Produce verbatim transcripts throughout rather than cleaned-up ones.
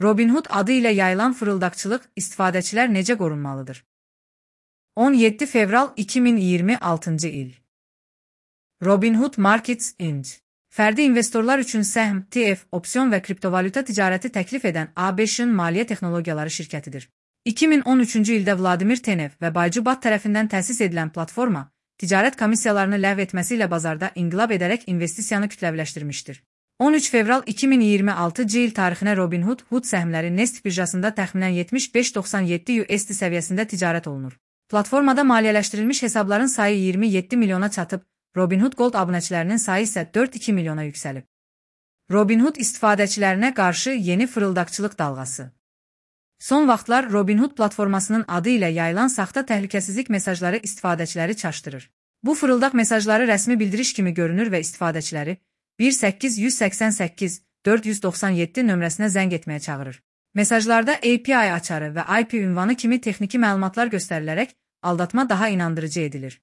Robinhood adı ilə yayılan fırıldaqçılıq istifadəçilər necə qorunmalıdır? on yeddi fevral iki min iyirmi altıncı il. Robinhood Markets incorporated fərdi investorlar üçün səhm, T F, opsiyon və kriptovalyuta ticarəti təklif edən A B Ş-ın maliyyə texnologiyaları şirkətidir. iki min on üçüncü ildə Vladimir Tenev və Baycu Bat tərəfindən təsis edilən platforma, ticarət komissiyalarını ləğv etməsi ilə bazarda inqilab edərək investisiyanı kütləviləşdirmişdir. on üç fevral iki min iyirmi altıncı il tarixinə Robinhood Hood səhmləri Nest birjasında təxminən yetmiş beş doxsan yeddi U S D səviyyəsində ticarət olunur. Platformada maliyyələşdirilmiş hesabların sayı iyirmi yeddi milyona çatıb, Robinhood Gold abunəçilərinin sayı isə dörd iki milyona yüksəlib. Robinhood istifadəçilərinə qarşı yeni fırıldaqçılıq dalğası. Son vaxtlar Robinhood platformasının adı ilə yayılan saxta təhlükəsizlik mesajları istifadəçiləri çaşdırır. Bu fırıldaq mesajları rəsmi bildiriş kimi görünür və istifadəçiləri bir səkkiz yüz səksən səkkiz dörd yüz doxsan yeddi nömrəsinə zəng etməyə çağırır. Mesajlarda A P I açarı və I P ünvanı kimi texniki məlumatlar göstərilərək aldatma daha inandırıcı edilir.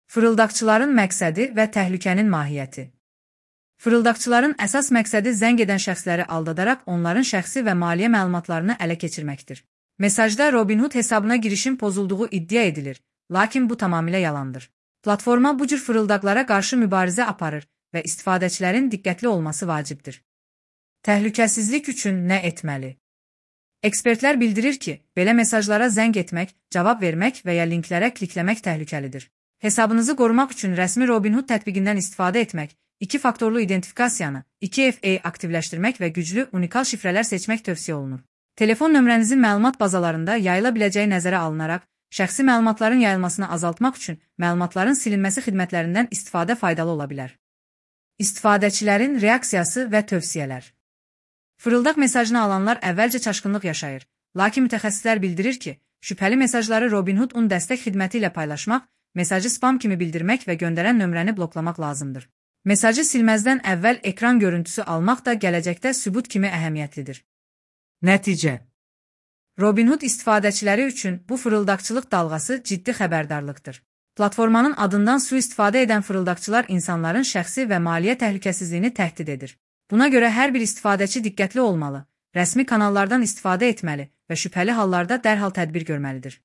Fırıldaqçıların məqsədi və təhlükənin mahiyyəti. Fırıldaqçıların əsas məqsədi zəng edən şəxsləri aldadaraq onların şəxsi və maliyyə məlumatlarını ələ keçirməkdir. Mesajda Robinhood hesabına girişin pozulduğu iddia edilir, lakin bu tamamilə yalandır. Platforma bu cür fırıldaqlara qarşı mübarizə aparır və istifadəçilərin diqqətli olması vacibdir. Təhlükəsizlik üçün nə etməli? Ekspertlər bildirir ki, belə mesajlara zəng etmək, cavab vermək və ya linklərə klikləmək təhlükəlidir. Hesabınızı qorumaq üçün rəsmi Robinhood tətbiqindən istifadə etmək, iki faktorlu identifikasiyanı, iki F A aktivləşdirmək və güclü, unikal şifrələr seçmək tövsiyə olunur. Telefon nömrənizin məlumat bazalarında yayıla biləcəyi nəzərə alınaraq, şəxsi məlumatların yayılmasını azaltmaq üçün məlumatların silinməsi xidmətlərindən istifadə faydalı ola bilər. İstifadəçilərin reaksiyası və tövsiyələr. Fırıldaq mesajını alanlar əvvəlcə çaşqınlıq yaşayır, lakin mütəxəssislər bildirir ki, şübhəli mesajları Robinhood un dəstək xidməti ilə paylaşmaq, mesajı spam kimi bildirmək və göndərən nömrəni bloklamaq lazımdır. Mesajı silməzdən əvvəl ekran görüntüsü almaq da gələcəkdə sübut kimi əhəmiyyətlidir. Nəticə. Robinhood istifadəçiləri üçün bu fırıldaqçılıq dalğası ciddi xəbərdarlıqdır. Platformanın adından sui-istifadə edən fırıldaqçılar insanların şəxsi və maliyyə təhlükəsizliyini təhdid edir. Buna görə hər bir istifadəçi diqqətli olmalı, rəsmi kanallardan istifadə etməli və şübhəli hallarda dərhal tədbir görməlidir.